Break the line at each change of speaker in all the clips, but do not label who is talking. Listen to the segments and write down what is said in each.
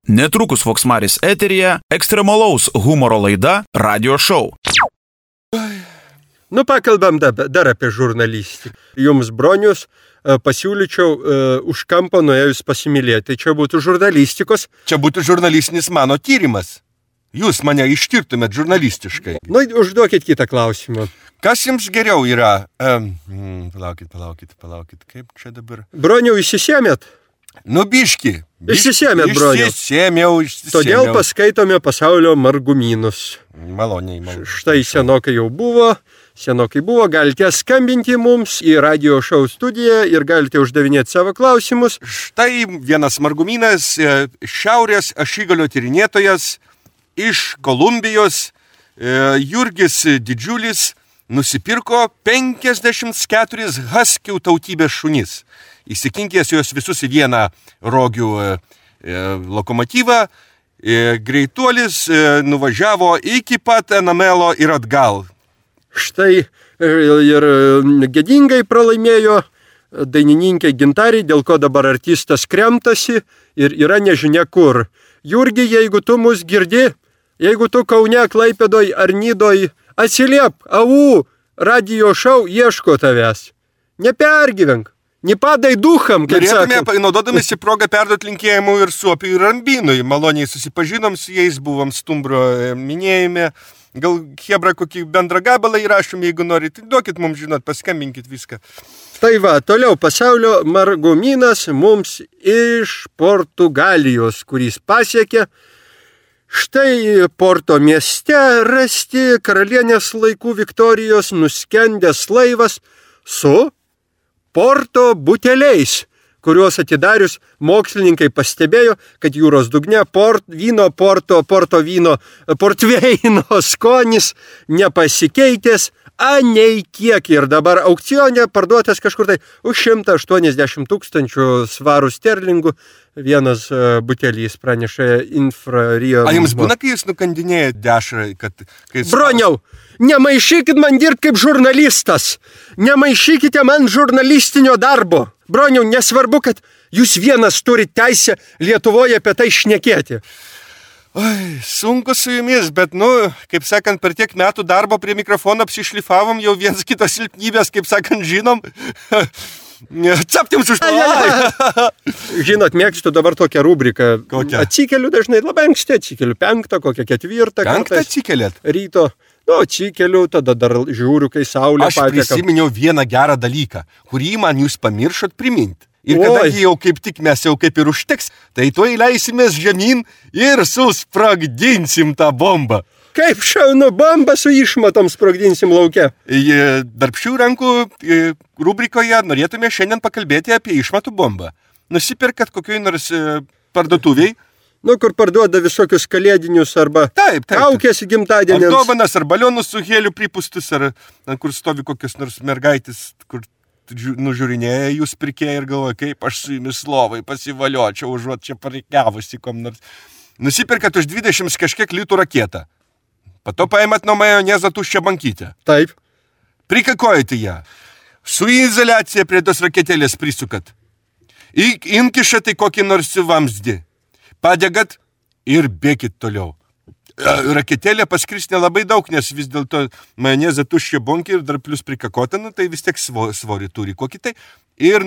Netrukus Voksmaris eteryje ekstremalaus humoro laida Radio Show.
Nu, pakalbam dar apie žurnalistiką. Jums, bronius, pasiūlyčiau už kampo nuėjus pasimylėti. Čia būtų žurnalistikos.
Čia būtų žurnalistinis mano tyrimas. Jūs mane ištirtumėt žurnalistiškai.
Nu, užduokit kitą klausimą.
Kas jums geriau yra? Palaukit, kaip čia dabar?
Broniau, įsisėmėt?
Nu, biški.
Išsisėmėt, broniau.
Išsisėmiau.
Todėl paskaitome pasaulio margumynus.
Maloniai.
Štai senokai buvo, galite skambinti mums į Radio Show studiją ir galite uždavinėti savo klausimus.
Štai vienas margumynas, šiaurės ašigalio tyrinėtojas iš Kolumbijos, Jurgis Didžiulis, nusipirko 54 haskių tautybės šunis. Įsikinkęs juos visus į vieną rogių lokomotyvą, greituolis nuvažiavo iki pat Enamelo ir atgal.
Štai ir gėdingai pralaimėjo dainininkė Gintarė, dėl ko dabar artistas kremtasi ir yra nežinia kur. Jurgi, jeigu tu mus girdi, jeigu tu Kaune, Klaipėdoj ar Nidoj, atsiliep, Radio Show ieško tavęs. Nepergyvenk. Nepadai ducham, kaip sakė.
Norėtume, naudodamėsi progą perduoti linkėjimų ir Suopiui ir Rambinui. Maloniai susipažinom su jais, buvom Stumbro minėjime. Gal Hebra kokį bendrą gabalą įrašom, jeigu norite. Duokit mums žinot, paskambinkit viską.
Tai va, toliau pasaulio margumynas mums iš Portugalijos, kuris pasiekė. Štai Porto mieste rasti karalienės laikų Viktorijos nuskendęs laivas su Porto buteliais, kuriuos atidarius mokslininkai pastebėjo, kad jūros dugne portveino skonis nepasikeitęs, nei kiek. Ir dabar aukcione parduotas kažkur tai už 180 000 svarų sterlingų vienas butelys, praneša Infrario.
A jums būna, kai jūs nukandinėjate dešrą, kad...
Broniau, nemaišykit man dirbti kaip žurnalistas. Nemaišykite man žurnalistinio darbo. Broniau, nesvarbu, kad jūs vienas turite teisę Lietuvoje apie tai šnekėti.
Oi, sunku su jumis, bet, kaip sakant, per tiek metų darbo prie mikrofono apsišlifavom, jau viens kitos silpnybės, kaip sakant, žinom. Captim už
Žinot, mėgstu dabar tokią rubriką.
Kokią?
Atsikeliu dažnai, labai anksti atsikeliu, 5, kokią 4.
5 atsikeliat?
Ryto. Atsikeliu, tada dar žiūriu, kai saulė
pateka. Aš prisiminiau vieną gerą dalyką, kurį man jūs pamiršot priminti. Ir kadangi jau kaip tik mes jau kaip ir užteks, tai tuoj leisimės žemyn ir susprogdinsim tą bombą.
Kaip šaunu, bombą su išmatom sprogdinsim lauke.
Darbščių rankų rubrikoje norėtume šiandien pakalbėti apie išmatų bombą. Nusipirkat kokioj nors parduotuviai.
Kur parduoda visokius kalėdinius arba kaukės gimtadieniams.
Ar dovanas, ar balionus su heliu pripūstus, ar kur stovi kokios nors mergaitės, kur nužiūrinėja jūs pirkėja ir galvoja, kaip aš su jumis lovai pasivaliočiau, užuot čia pareikiavusi kom nors. Nusipirkat už 20 kažkiek litų raketą. Pato paimat nuo majonezo tuščią bankytę.
Taip.
Prikakojate ją. Su izoliacija prie tos raketėlės prisukat. Inkišate kokį nors vamzdį. Padegat ir bėkit toliau. Raketėlė paskris nelabai daug, nes vis dėlto majonezą tuščią bonkį ir dar plus prikakotą, tai vis tiek svorį turi kokį tai. Ir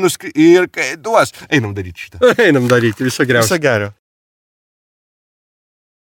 kai duos. Einam daryti šitą.
Einam daryti, viso geriausio.
Viso gerio.